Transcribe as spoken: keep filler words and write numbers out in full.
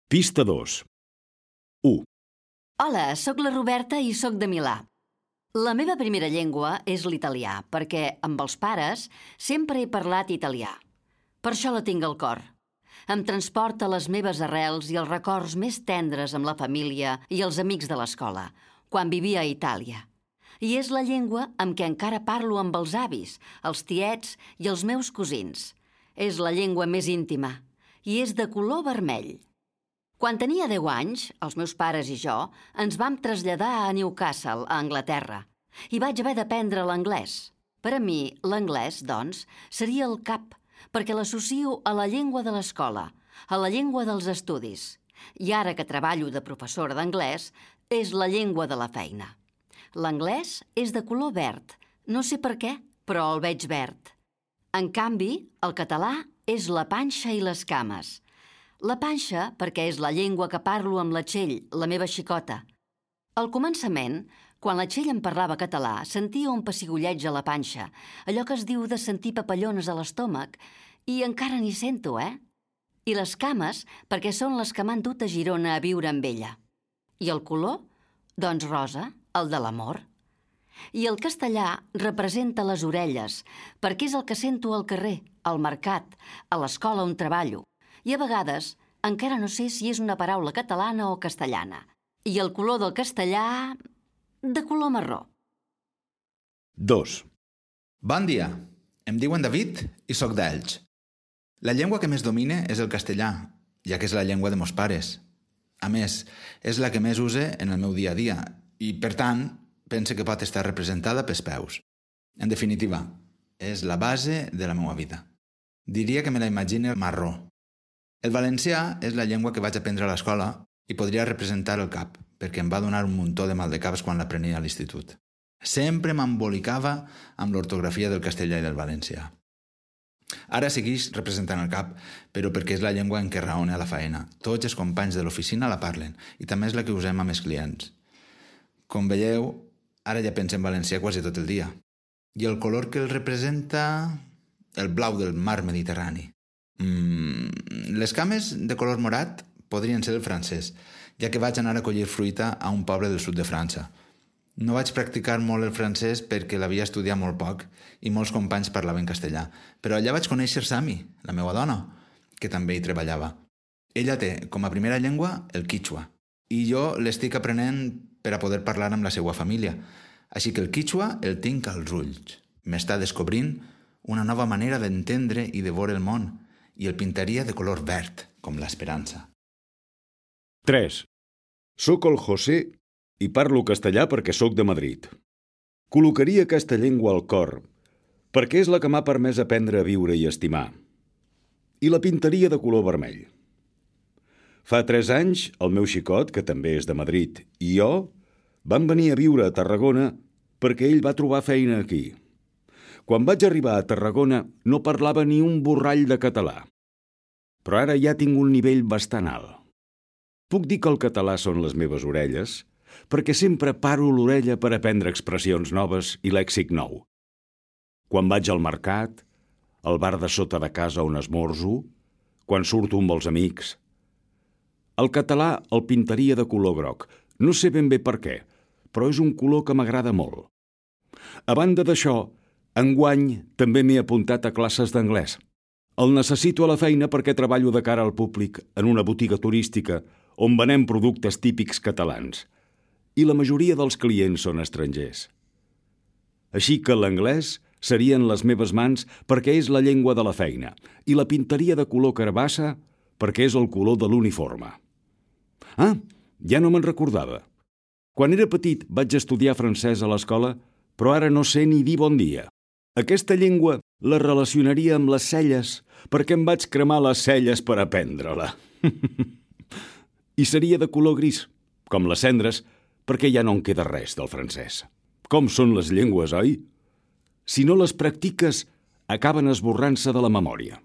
Pista dos. u. Hola, sóc la Roberta i sóc de Milà. La meva primera llengua és l'italià, perquè amb els pares sempre he parlat italià. Per això la tinc al cor. Em transporta les meves arrels i els records més tendres amb la família i els amics de l'escola, quan vivia a Itàlia. I és la llengua amb què encara parlo amb els avis, els tiets i els meus cosins. És la llengua més íntima i és de color vermell. Quan tenia deu anys, els meus pares i jo ens vam traslladar a Newcastle, a Anglaterra, i vaig haver d'aprendre l'anglès. Per a mi, l'anglès, doncs, seria el cap, perquè l'associo a la llengua de l'escola, a la llengua dels estudis. I ara que treballo de professora d'anglès, és la llengua de la feina. L'anglès és de color verd. No sé per què, però el veig verd. En canvi, el català és la panxa i les cames. La panxa perquè és la llengua que parlo amb la Txell, la meva xicota. Al començament, quan la Txell em parlava català, sentia un pessigolleig a la panxa, allò que es diu de sentir papallones a l'estómac, i encara n'hi sento, eh? I les cames perquè són les que m'han dut a Girona a viure amb ella. I el color? Doncs rosa, el de l'amor. I el castellà representa les orelles, perquè és el que sento al carrer, al mercat, a l'escola on treballo. I a vegades encara no sé si és una paraula catalana o castellana. I el color del castellà, de color marró. dos. Bon dia, em diuen David i sóc d'Elx. La llengua que més domine és el castellà, ja que és la llengua de meus pares. A més, és la que més use en el meu dia a dia i, per tant, pense que pot estar representada pels peus. En definitiva, és la base de la meva vida. Diria que me la imagine marró. El valencià és la llengua que vaig aprendre a l'escola i podria representar el cap, perquè em va donar un muntó de maldecaps quan l'aprenia a l'institut. Sempre m'embolicava amb l'ortografia del castellà i del valencià. Ara segueix representant el cap, però perquè és la llengua en què raone a la faena. Tots els companys de l'oficina la parlen i també és la que usem amb els clients. Com veieu, ara ja penso en valencià quasi tot el dia. I el color que el representa? El blau del mar Mediterrani. Mm, les cames de color morat podrien ser el francès, ja que vaig anar a collir fruita a un poble del sud de França. No vaig practicar molt el francès perquè l'havia estudiat molt poc i molts companys parlaven castellà, però allà vaig conèixer Sami, la meva dona, que també hi treballava. Ella té com a primera llengua el quichua i jo l'estic aprenent per a poder parlar amb la seva família, així que el quichua el tinc als ulls. M'està descobrint una nova manera d'entendre i de veure el món, i el pintaria de color verd, com l'esperança. tres. Soc el José i parlo castellà perquè sóc de Madrid. Col·locaria aquesta llengua al cor, perquè és la que m'ha permès aprendre a viure i estimar. I la pintaria de color vermell. Fa tres anys, el meu xicot, que també és de Madrid, i jo vam venir a viure a Tarragona perquè ell va trobar feina aquí. Quan vaig arribar a Tarragona no parlava ni un borrall de català, però ara ja tinc un nivell bastant alt. Puc dir que el català són les meves orelles, perquè sempre paro l'orella per aprendre expressions noves i lèxic nou. Quan vaig al mercat, al bar de sota de casa on esmorzo, quan surto amb els amics. El català el pintaria de color groc. No sé ben bé per què, però és un color que m'agrada molt. A banda d'això, enguany també m'he apuntat a classes d'anglès. El necessito a la feina perquè treballo de cara al públic en una botiga turística on venem productes típics catalans i la majoria dels clients són estrangers. Així que l'anglès seria en les meves mans perquè és la llengua de la feina i la pintaria de color carbassa perquè és el color de l'uniforme. Ah, ja no me'n recordava. Quan era petit vaig estudiar francès a l'escola, però ara no sé ni dir bon dia. Aquesta llengua la relacionaria amb les celles, perquè em vaig cremar les celles per aprendre-la. I seria de color gris, com les cendres, perquè ja no en queda res del francès. Com són les llengües, oi? Si no les practiques, acaben esborrant-se de la memòria.